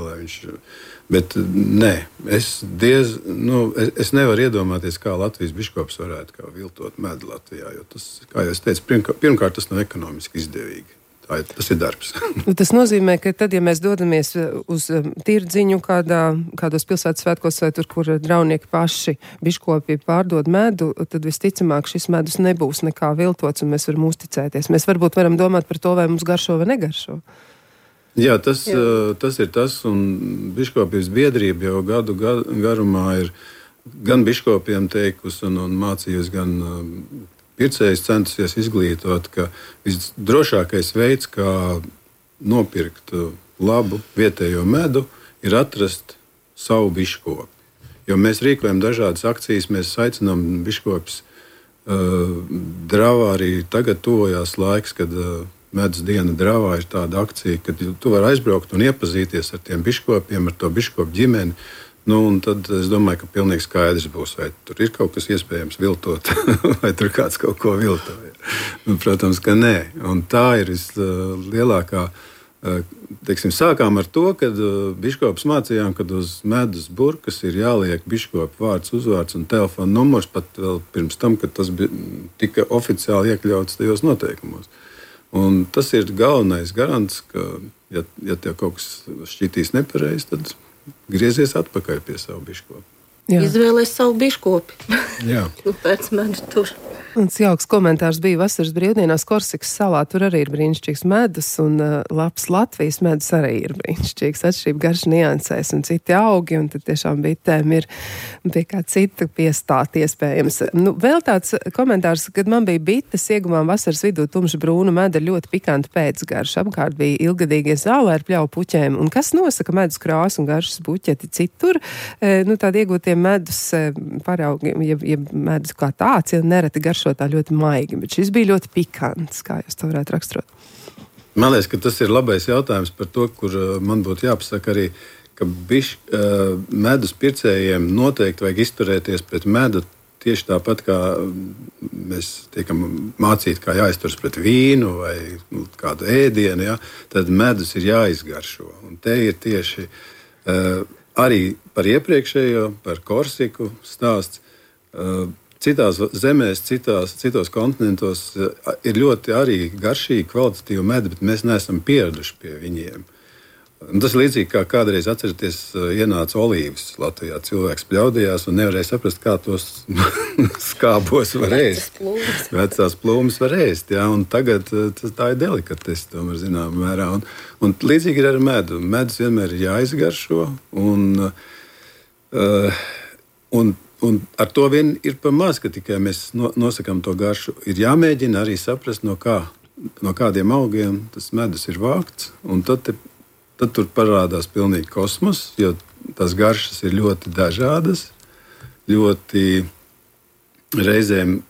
Bet nē, es nevaru iedomāties, kā Latvijas biškops varētu viltot medu Latvijā. Jo tas, kā jau es teicu, pirmkārt tas nav ekonomiski izdevīgi. Tas ir darbs. Tas nozīmē, ka tad, ja mēs dodamies uz tirdziņu kādos pilsētas svētkos vai tur, kur draunieki paši biškopi pārdod medu, tad visticamāk šis medus nebūs nekā viltots un mēs varam uzticēties. Mēs varbūt varam domāt par to, vai mums garšo vai negaršo. Jā, tas ir tas, un biškopības biedrība jau gadu garumā ir gan biškopiem teikusi un mācījusi, gan pircējs centusies izglītot, ka visdrošākais veids, kā nopirkt labu vietējo medu, ir atrast savu biškopi. Jo mēs rīkojam dažādas akcijas, mēs aicinām biškopus Dravā. Arī tagad tuvojās laiks, kad medus diena Dravā ir tāda akcija, kad tu vari aizbraukt un iepazīties ar tiem biškopiem, ar to biškopu ģimeni. Un tad es domāju, ka pilnīgi skaidrs būs, vai tur ir kaut kas iespējams viltot, vai tur kāds kaut ko viltoja. Protams, ka nē. Un tā ir vislielākā. Sākām ar to, kad biškops mācījām, kad uz medus burkas ir jāliek biškopa vārds, uzvārds un telefona numurs, pat vēl pirms tam, kad tas tika oficiāli iekļauts tajos noteikumos. Un tas ir galvenais garants, ka, ja tev kaut kas šķitīs nepareizi, tad griezies atpakaļ pie savu biškopu. Izvēlēs savu biškopi. Jā. Pēc medu tur. Un jauks komentārs bija vasaras brīvdienās Korsikas salā. Tur arī ir brīnišķīgs medus, un labs Latvijas medus arī ir brīnišķīgs. Atšķirība garša niansēs un citi augi, un tad tiešām bitēm ir pie kā cita piestāt iespējams. Vēl tāds komentārs, kad man bija bites, ieguvām vasaras vidū tumša brūnu medu ļoti pikantu pēcgaršu. Apkārt bija ilgadīgie zālē ar pļauju puķēm. Un kas nosaka medus krāsu un garšas buķeti citur? Tādi iegūtie medus paraugi, ja medus kā tāds, ja nereti garšo tā ļoti maigi, bet šis bija ļoti pikants, kā jūs to varētu raksturot. Man liekas, ka tas ir labais jautājums par to, kur man būtu jāpasaka arī, ka medus pircējiem noteikti vajag izturēties pret medu tieši tāpat, kā mēs tiekam mācīti, kā jāizturas pret vīnu vai kādu ēdienu, ja? Tad medus ir jāizgaršo. Un te ir tieši arī par iepriekšējo, par Korsiku stāsts. Citās zemēs, citos kontinentos ir ļoti arī garšīgi, kvalitatīvi medi, bet mēs neesam pieraduši pie viņiem. Un tas līdzīgi kā kādreiz atceraties, ienāca olīvas Latvijā. Cilvēks pļaudījās un nevarēja saprast, kā tos skābos var ēst. Vecās plūmes var ēst, jā, un tagad tā ir delikatese, tomēr zināmā mērā. Un līdzīgi ir ar medu. Medus vienmēr ir jāizgaršo, un ar to vien ir pa maz, ka tikai mēs nosakām to garšu. Ir jāmēģina arī saprast, no kādiem augiem tas medus ir vākts, un tad tur parādās pilnīgi kosmos, jo tās garšas ir ļoti dažādas, ļoti reizēm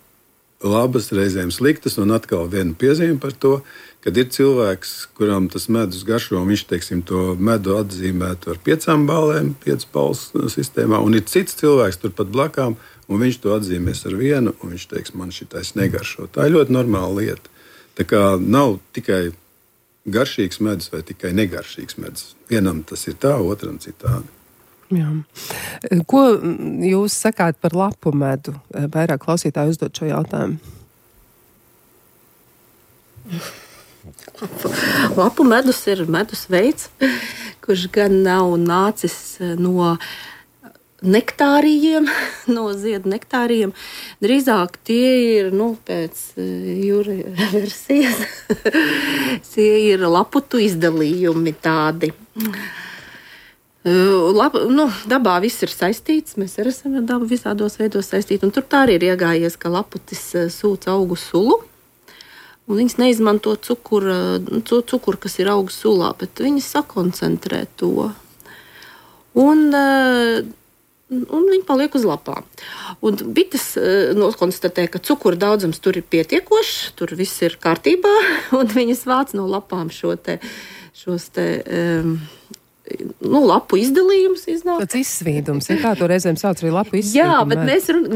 labas, reizēm sliktas, un atkal viena piezīme par to, kad ir cilvēks, kuram tas medus garšo, un viņš, teiksim, to medu atzīmētu ar 5 balēm, 5 balsu sistēmā, un ir cits cilvēks turpat blakām, un viņš to atzīmēs ar 1, un viņš teiks, man šitais negaršo. Tā ir ļoti normāla lieta. Tā kā nav tikai garšīgs medus vai tikai negaršīgs medus. Vienam tas ir tā, otram citādi. Jā. Ko jūs sakāt par lapu medu? Vairāk klausītāji uzdod šo jautājumu. Lapu medus ir medus veids, kurš gan nav nācis no nektāriem, no ziedu nektāriem. Drīzāk tie ir, pēc jūra versijas, tie ir laputu izdalījumi tādi. Dabā viss ir saistīts, mēs arī esam ar dabu visādos veidos saistīti, un tur tā arī ir iegājies, ka laputis sūc augu sulu, Un viņas neizmanto cukuru, kas ir augu sulā, bet viņas sakoncentrē to. Un viņi paliek uz lapām. Un bites nokonstatē, ka cukura daudzums tur ir pietiekošs, tur viss ir kārtībā, un viņas vāc no lapām šos lapu izdalījums iznāk. Tas izsvīdums, kā to reizēm sauc arī lapu izsvīdumu. Jā, bet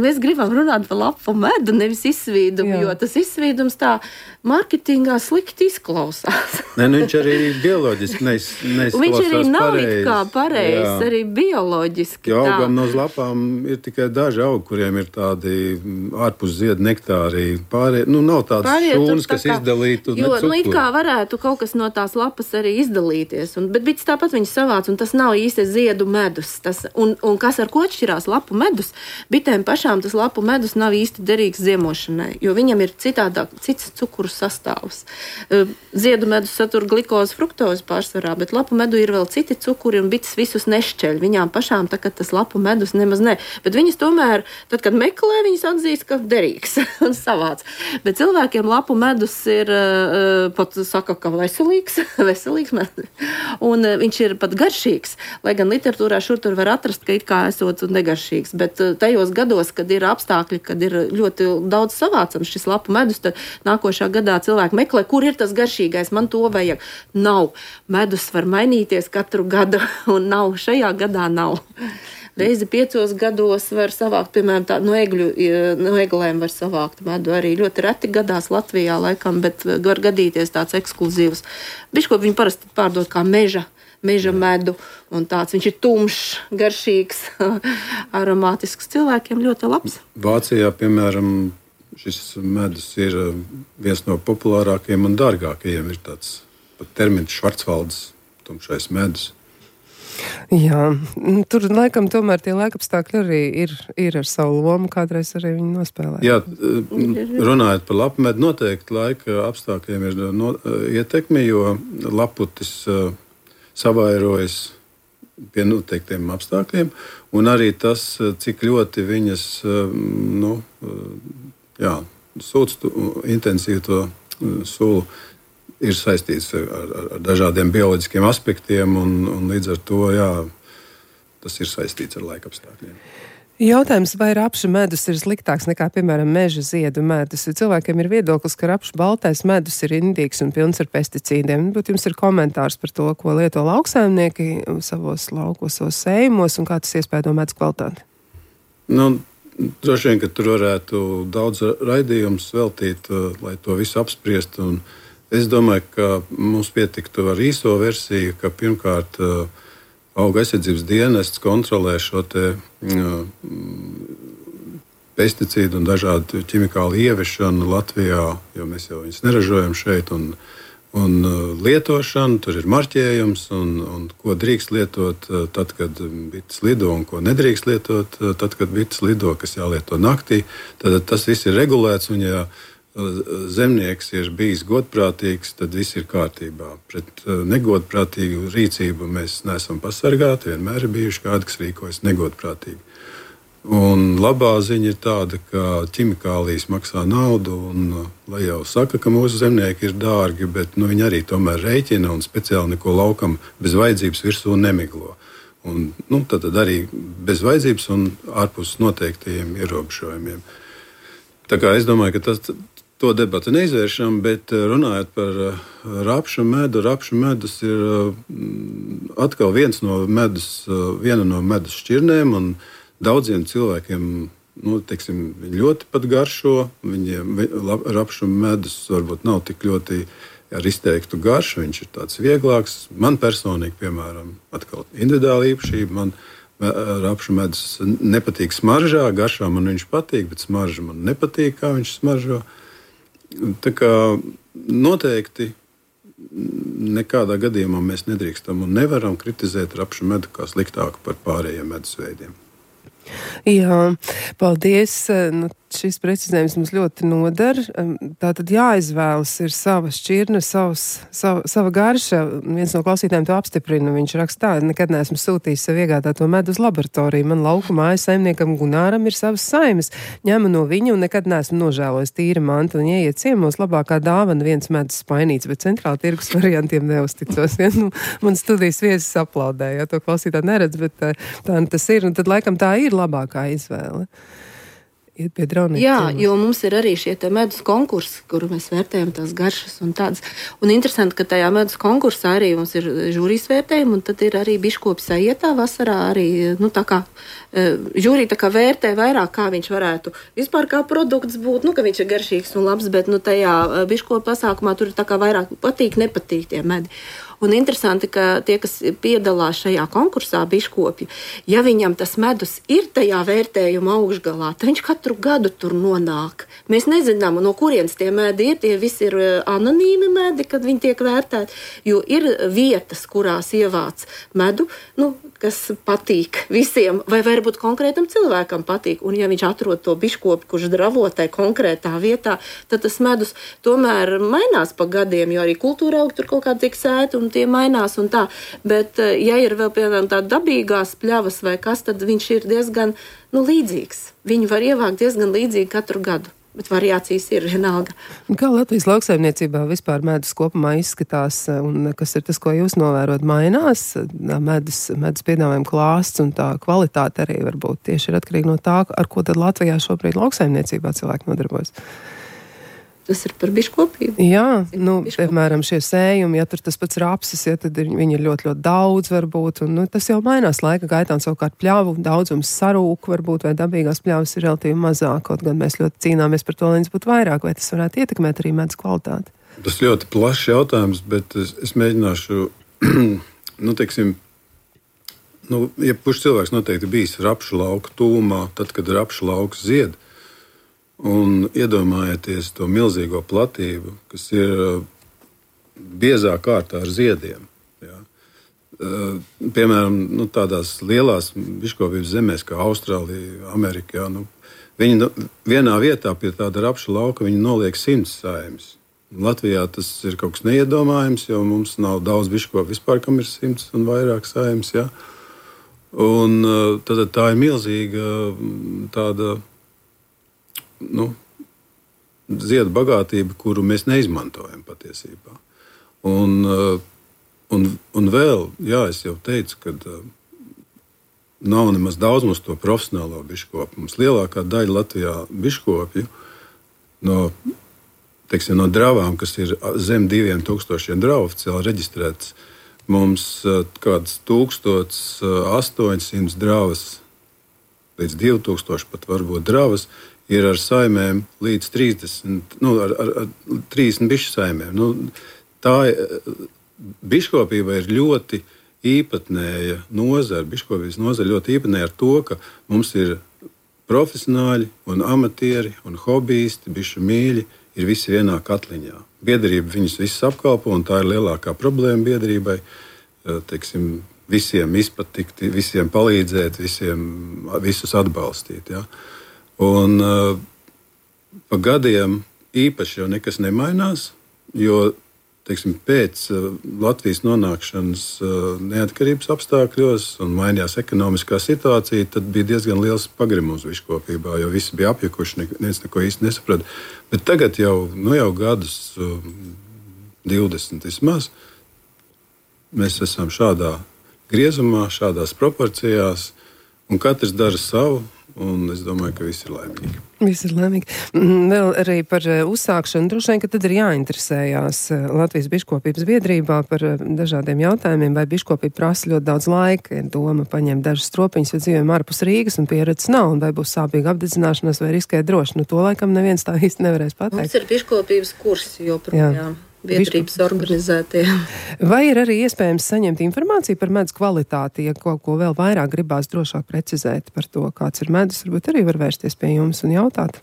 mēs gribam runāt par lapu medu, nevis izsvīdumu, jo tas izsvīdums tā marketingā slikti izklausās. Viņš arī bioloģiski neizklausās viņš arī nav it kā pareizs, arī bioloģiski. Jo augam no lapām ir tikai daži augi, kuriem ir tādi ārpus ziedu nektāri. Nav tāds šūns, kas izdalītu ne cukuru. It kā varētu kaut kas no tās lapas arī izdalīties, bet bites tāpat viņas savāc, un tas nav īsti ziedu medus. Un kas ar ko atšķirās lapu medus? Bitēm pašām tas lapu medus nav īsti derīgs ziemošanai, jo viņam ir cits cukuru sastāvs. Ziedu medus satur glikozi, fruktozi pārsvarā, bet lapu medu ir vēl citi cukuri, un bites visus nešķeļ. Viņām pašām tagad tas lapu medus nemaz ne. Bet viņas tomēr, tad, kad meklē, viņas atzīst, ka derīgs un savāc. Bet cilvēkiem lapu medus ir, pat saka, ka veselīgs medus. Un viņš ir pat garšīgs, lai gan literatūrā šur tur var atrast, ka it kā esot negaršīgs, bet tajos gados, kad ir apstākļi, kad ir ļoti daudz savācams šis lapu medus, tad nākošā gadā cilvēki meklē, kur ir tas garšīgais, man to vajag. Nav. Medus var mainīties katru gadu, un nav. Šajā gadā nav. Reizi 5 gados var savākt, piemēram, no eglēm var savākt medu. Arī ļoti reti gadās Latvijā laikam, bet var gadīties tāds ekskluzīvs. Bišķi, ko viņi parasti pārdod kā meža medu, un tāds viņš ir tumšs, garšīgs, aromātisks, cilvēkiem ļoti labs. Vācijā, piemēram, šis medus ir viens no populārākajiem un dārgākajiem. Ir tāds pat termins Švarcvaldes, tumšais medus. Jā, tur laikam tomēr tie laikapstākļi arī ir ar savu lomu, kādreiz arī viņi nospēlē. Jā, runājot par lapu medu, noteikti laika apstākļiem ir ietekme, jo laputis savairojas pie noteiktiem apstākļiem, un arī tas, cik ļoti viņas sūc intensīvi to sulu, ir saistīts ar dažādiem bioloģiskiem aspektiem, un līdz ar to, tas ir saistīts ar laika apstākļiem. Jautājums, vai rapša medus ir sliktāks nekā, piemēram, meža ziedu medus? Cilvēkiem ir viedoklis, ka rapša baltais medus ir indīgs un pilns ar pesticīdiem. Bet jums ir komentārs par to, ko lieto lauksaimnieki savos laukos, savos sējumos, un kā tas iespējo medus kvalitāti? Droši vien, ka tur varētu daudz raidījumus veltīt, lai to visu apspriest. Un es domāju, ka mums pietiktu ar īso versiju, ka pirmkārt Auga aizsardzības dienests kontrolē šo pesticīdu un dažādu ķimikālu ieviešanu Latvijā, jo mēs jau viņus neražojam šeit, un lietošanu, tur ir marķējums, un ko drīkst lietot tad, kad bites lido, un ko nedrīkst lietot tad, kad bites lido, kas jālieto naktī. Tad tas viss ir regulēts, un ja zemnieks ir bijis godprātīgs, tad viss ir kārtībā. Pret negodprātīgu rīcību mēs neesam pasargāti, vienmēr ir bijuši kādi, kas rīkojas negodprātīgi. Un labā ziņa ir tāda, ka ķimikālijas maksā naudu, un lai jau saka, ka mūsu zemnieki ir dārgi, bet viņi arī tomēr rēķina un speciāli neko laukam bez vajadzības virsū nemiglo. Un, tad arī bez vajadzības un ārpus noteiktajiem ierobežojumiem. Tā kā es domāju, ka to debatu neizvēršam, bet runājot par rapšu medus ir atkal viena no medus šķirnēm, un daudziem cilvēkiem, viņi ļoti pat garšo. Rapšu medus varbūt nav tik ļoti ar izteiktu garšu, viņš ir tāds vieglāks. Man personīgi, piemēram, atkal individuāla īpašība, man rapšu medus nepatīk smaržā, garšā man viņš patīk, bet smarža man nepatīk, kā viņš smaržo. Tā kā noteikti nekādā gadījumā mēs nedrīkstam un nevaram kritizēt rapšu medu kā sliktāku par pārējiem medus veidiem. Jā, paldies. šis precizējums mums ļoti noder. Tātad jāizvēlas ir sava šķirne, sava garša. Viens no klausītājiem to apstiprina. Viņš raksta tā, nekad neesmu sūtījis sev iegādāto medu uz laboratoriju. Man lauku mājas saimniekam Gunāram ir savas saimes. Ņemu no viņa un nekad neesmu nožēlojis tīra mantu. Un ieiet ciemos labākā dāvana viens medus spainīts, bet centrāla tirgus variantiem neuzticos. Ja? Nu, man studijas viesis aplaudēja, to klausītāji neredz, bet tā tas ir. Un tad laikam tā ir labākā izvēle. Iet pie draudiem. Jā, jo mums ir arī šie medus konkursi, kuru mēs vērtējam tās garšas un tādas. Un interesanti, ka tajā medus konkursā arī mums ir žūrijas vērtējumi, un tad ir arī biškopi sajietā vasarā arī, tā kā žūrija tā kā vērtē vairāk, kā viņš varētu vispār kā produkts būt, ka viņš ir garšīgs un labs, bet tajā biškopi pasākumā tur ir tā kā vairāk patīk, nepatīk tie medi. Un interesanti, ka tie, kas piedalās šajā konkursā, biškopi, ja viņam tas medus ir tajā vērtējuma augšgalā, tad viņš katru gadu tur nonāk. Mēs nezinām, no kurienes tie medi ir. Tie visi ir anonīmi medi, kad viņi tiek vērtēti, jo ir vietas, kurās ievāc medu, kas patīk visiem, vai varbūt konkrētam cilvēkam patīk. Un ja viņš atrod to biškopi, kurš dravo tai konkrētā vietā, tad tas medus tomēr mainās pa gadiem, jo arī kultūra aug tur kaut kā tiek sēta un tie mainās un tā. Bet, ja ir vēl, piemēram, tā dabīgās pļavas vai kas, tad viņš ir diezgan līdzīgs. Viņu var ievākt diezgan līdzīgi katru gadu. Bet variācijas ir vienalga. Kā Latvijas lauksaimniecībā vispār medus kopumā izskatās, un kas ir tas, ko jūs novērot, mainās? Medus piedāvājuma klāsts un tā kvalitāte arī varbūt tieši ir atkarīgi no tā, ar ko tad Latvijā šobrīd lauksaimniecībā cilvēki nodarbojas. Tas ir par biškopību. Jā, piemēram, šie sējumi, ja tur tas pats rapsis, ja tad viņi ir ļoti, ļoti daudz varbūt, un tas jau mainās laika gaitā, un savukārt pļavu daudzums sarūk varbūt, vai dabīgās pļavas ir relatīvi mazāk, kaut gan mēs ļoti cīnāmies par to, lai viņas būtu vairāk, vai tas varētu ietekmēt arī medus kvalitāti? Tas ļoti plašs jautājums, bet es mēģināšu, jebkurš cilvēks noteikti bijis rapšu lauka tūmā, tad, kad rapšu lauks zied. Un iedomājieties to milzīgo platību, kas ir biezā kārtā ar ziediem. Ja. Piemēram, tādās lielās biškopības zemēs, kā Austrālija, Amerikā, viņi vienā vietā pie tāda rapša lauka viņi noliek 100 saimes. Latvijā tas ir kaut kas neiedomājams, jo mums nav daudz biškopu vispār, kam ir 100 un vairāk saimes. Ja. Un tad tā ir milzīga tāda ziedu bagātība, kuru mēs neizmantojam patiesībā. Un vēl, es jau teicu, ka nav nemaz daudz mums to profesionālo biškopu. Mums lielākā daļa Latvijā biškopju no dravām, kas ir zem 2000 dravu oficiāli reģistrētas, mums kādas 1800 dravas līdz 2000 pat varbūt dravas ir ar saimēm līdz 30, ar 30 bišu saimēm. Tā biškopība ir ļoti īpatnēja nozara. Biškopības nozara ļoti īpatnēja ar to, ka mums ir profesionāļi un amatieri un hobbyisti, bišu mīļi, ir visi vienā katliņā. Biedrība viņus visus apkalpo, un tā ir lielākā problēma biedrībai. Visiem izpatikt, visiem palīdzēt, visus atbalstīt. Ja? Un pa gadiem īpaši jau nekas nemainās, jo pēc Latvijas nonākšanas neatkarības apstākļos un mainījās ekonomiskā situācija, tad bija diezgan liels pagrimums biškopībā, jo visi bija apjukuši, neviens neko īsti nesaprata. Bet tagad jau gadus 20 vismaz mēs esam šādā griezumā, šādās proporcijās, un katrs dara savu. Un es domāju, ka visi ir laimīgi. Visi ir laimīgi. Vēl arī par uzsākšanu. Droši vien, ka tad ir jāinteresējās Latvijas biškopības biedrībā par dažādiem jautājumiem, vai biškopība prasa ļoti daudz laika, ir doma paņemt dažas stropiņas, jo dzīvojam ārpus Rīgas un pieredzes nav, un vai būs sāpīga apdedzināšanās vai riskēt droši. To laikam neviens tā īsti nevarēs pateikt. Mums ir biškopības kursi joprojām. Biedrības organizētie. Vai ir arī iespējams saņemt informāciju par medus kvalitāti, ja kaut ko vēl vairāk gribās drošāk precizēt par to, kāds ir medus, varbūt arī var vērsties pie jums un jautāt?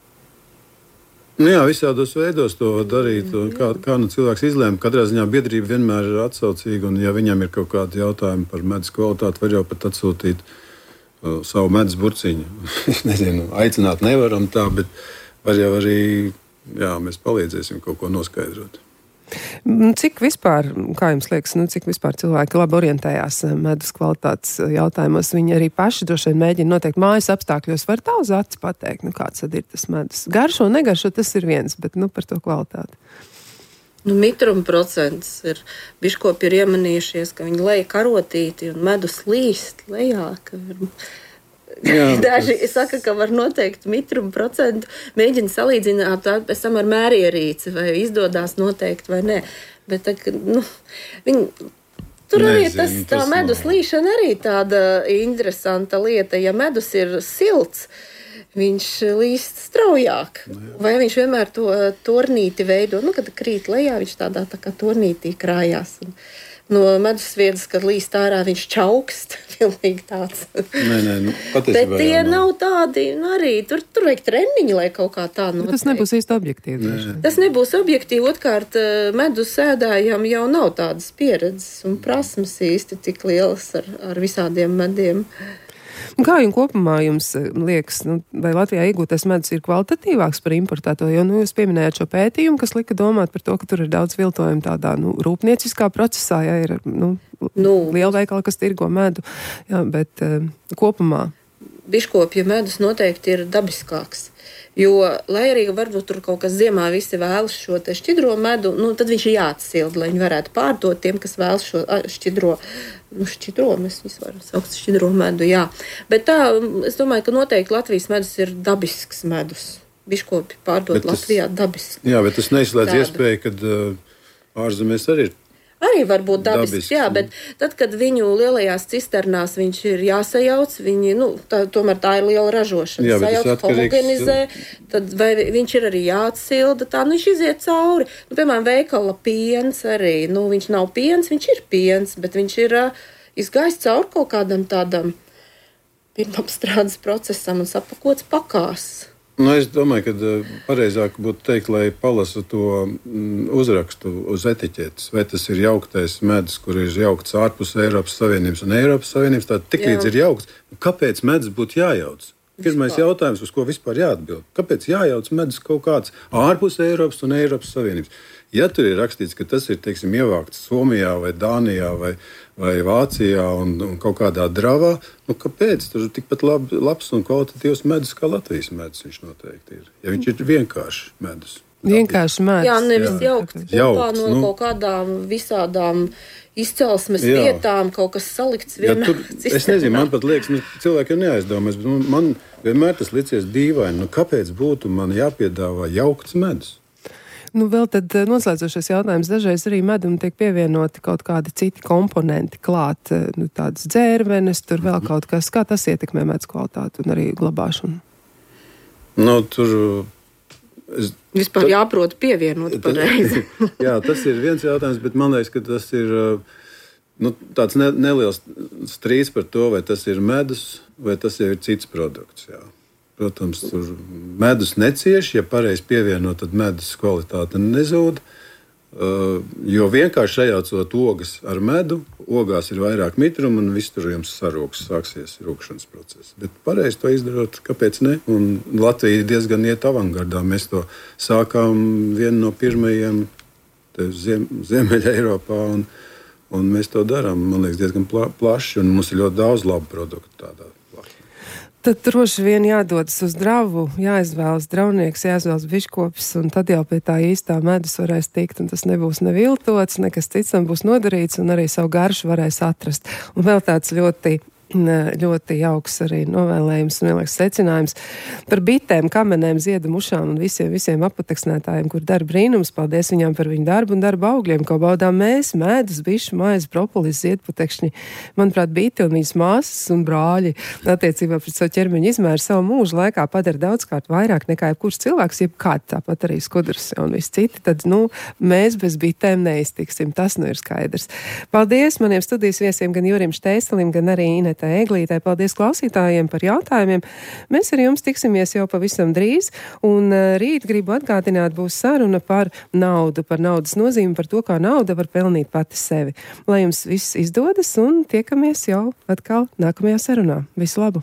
Jā, visādos veidos to var darīt. Kā cilvēks izlēma, katrā ziņā biedrība vienmēr ir atsaucīga, un ja viņam ir kaut kādi jautājumi par medus kvalitāti, var jau pat atsūtīt savu medus burciņu. Es nezinu, aicināt nevaram tā, bet var jau arī, mēs palīdzēsim kaut ko noskaidrot. Cik vispār, kā jums liekas, cik vispār cilvēki labi orientējās medus kvalitātes jautājumos? Viņi arī paši droši vien mēģina noteikt mājas apstākļos. Var tā uz aci pateikt, kāds tad ir tas medus? Garšo, negaršo, tas ir viens, bet par to kvalitāti. Mitruma procents ir. Biškopi ir iemanījušies, ka viņi leja karotīti un medus līst lejā, Daži saka, ka var noteikt mitruma procentu, mēģina salīdzināt pēc tam ar mērierīci, vai izdodas noteikt vai nē. Bet tur arī tā medus līšana arī tāda interesanta lieta. Ja medus ir silts, viņš līst straujāk. Vai viņš vienmēr to tornīti veido? Kad krīt lejā, viņš tādā tā kā tornītī krājās. No medusviedas, kad līst ārā, viņš čaukst. Pilnīgi tāds. Bet tie nav tādi, arī tur vajag treniņi, lai kaut kā tā notiek. Tas nebūs īsti objektīvi. Tas nebūs objektīvi. Otkārt, medus ēdājām jau nav tādas pieredzes un prasmes īsti tik lielas ar visādiem mediem. Kā jums kopumā liekas, vai Latvijā iegūtais medus ir kvalitatīvāks par importēto? Jo jūs pieminējāt šo pētījumu, kas lika domāt par to, ka tur ir daudz viltojumu tādā rūpnieciskā procesā, ir lielveikali, kas tirgo medu, bet kopumā. Biškopja medus noteikti ir dabiskāks. Jo, lai arī varbūt tur kaut kas ziemā visi vēlas šo te šķidro medu, tad viņš ir jāatsilda, lai viņi varētu pārdot tiem, kas vēlas šo šķidro, mēs visi varam saukt šķidro medu, jā. Bet tā, es domāju, ka noteikti Latvijas medus ir dabisks medus. Biškopi pārdot Latvijā dabisks. Jā, bet tas neizslēdz iespēju, kad ārzemēs arī ir. Arī var būt dabisks, jā, bet tad, kad viņu lielajās cisternās viņš ir jāsajauc, tomēr tā ir liela ražošana. Sajauc, homogenizē, tad vai viņš ir arī jāatsilda, viņš iziet cauri. Piemēram, veikala piens arī, viņš nav piens, viņš ir piens, bet viņš ir izgājis cauri kaut kādam tādam pirmapstrādes procesam un sapakots pakās. Es domāju, ka pareizāk būtu teikt, lai palasa to uzrakstu uz etiķetes. Vai tas ir jauktais medus, kur ir jaukts ārpus Eiropas Savienības un Eiropas Savienības, tad tiklīdz ir jaukts. Kāpēc medus būtu jājauc? Pirmais jautājums, uz ko vispār jāatbild. Kāpēc jājauc medus kaut kāds ārpus Eiropas un Eiropas Savienības? Ja tur ir rakstīts, ka tas ir, ievākts Somijā vai Dānijā vai Vācijā un kaut kādā dravā, kāpēc? Tur ir tikpat labs un kvalitatīvs medus kā Latvijas medus viņš noteikti ir. Ja viņš ir vienkārši medus. Vienkārši medus. Jā, nevis jaukts kopā no kaut kādām visādām izcelsmes vietām, kaut kas salikts vienā cisternā. Es nezinu, man pat liekas, cilvēkiem neaizdomās, bet man vienmēr tas licies dīvaini. Kāpēc būtu man jāpiedāvā jaukts medus? Vēl tad noslēdzošais jautājums. Dažreiz arī medum tiek pievienoti kaut kādi citi komponenti klāt, tādas dzērvenes, tur vēl kaut kas. Kā tas ietekmē medus kvalitāti un arī glabāšanu? Tur... Vispār jāprot pievienot pareizi. Jā, tas ir viens jautājums, bet man liekas, ka tas ir tāds neliels strīds par to, vai tas ir medus, vai tas jau ir cits produkts, jā. Protams, tur medus necieš, ja pareizi pievienot, tad medus kvalitāte nezūd, jo vienkārši sajaucot ogas ar medu, ogās ir vairāk mitruma un viss tur jums sarūks, sāksies rūkšanas process. Bet pareizi to izdarot, kāpēc ne? Un Latvija diezgan iet avangardā. Mēs to sākām vienu no pirmajiem Ziemeļa Eiropā un mēs to darām, man liekas, diezgan plaši un mums ir ļoti daudz labu produktu tādā. Tad droši vien jādodas uz dravu, jāizvēlas dravnieks, jāizvēlas biškopis, un tad jau pie tā īstā medus varēs tikt, un tas nebūs neviltots, nekas cits tam būs nodarīts, un arī savu garšu varēs atrast. Un vēl tāds ļoti jauks arī novēlējums un vienlaiks secinājums par bitēm, kamenēm, ziedu mušām un visiem apateksnētājiem, kur dara brīnums. Paldies viņām par viņu darbu un darba augļiem, ko baudām mēs, medus, bišu, maizi, propolis, ziedputekšņi. Manuprāt, biti un viņas māsas un brāļi attiecībā pret savu ķermeņa izmēru savu mūžu laikā padara daudzkārt vairāk nekā jebkurš cilvēks, jebkād tāpat arī skudrs un viss citi. Tad, mēs bez bitēm neiztiksim. Tas ir skaidrs. Paldies maniem studijas viesiem, gan Jurim Šteiselim, gan arī Inetai Eglītei. Paldies klausītājiem par jautājumiem. Mēs ar jums tiksimies jau pavisam drīz, un rīt gribu atgādināt, būs saruna par naudu, par naudas nozīmi, par to, kā nauda var pelnīt pati sevi. Lai jums viss izdodas, un tiekamies jau atkal nākamajā sarunā. Visu labu!